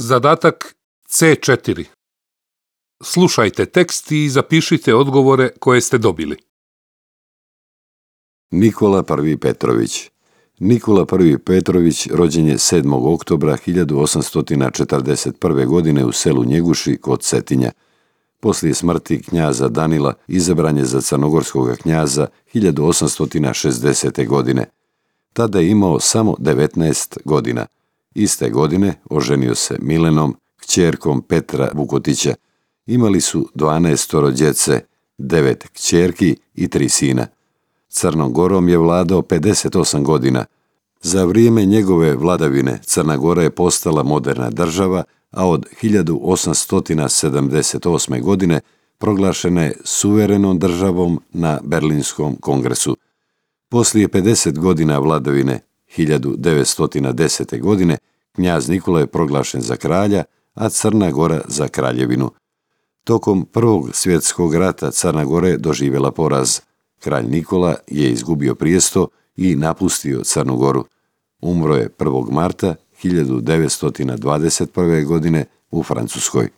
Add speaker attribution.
Speaker 1: Zadatak C4. Slušajte tekst i zapišite odgovore koje ste dobili.
Speaker 2: Nikola I. Petrović. Nikola I. Petrović rođen je 7. oktobra 1841. godine u selu Njeguši kod Cetinja. Poslije smrti knjaza Danila izabran je za crnogorskog knjaza 1860. godine. Tada je imao samo 19 godina. Iste godine oženio se Milenom, kćerkom Petra Vukotića. Imali su 12 djece, 9 kćerki i 3 sina. Crnom Gorom je vladao 58 godina. Za vrijeme njegove vladavine Crna Gora je postala moderna država, a od 1878. godine proglašena je suverenom državom na Berlinskom kongresu. Poslije 50 godina vladavine 1910. godine knjaz Nikola je proglašen za kralja, a Crna Gora za kraljevinu. Tokom Prvog svjetskog rata Crna Gora je doživjela poraz. Kralj Nikola je izgubio prijesto i napustio Crnu Goru. Umro je 1. marta 1921. godine u Francuskoj.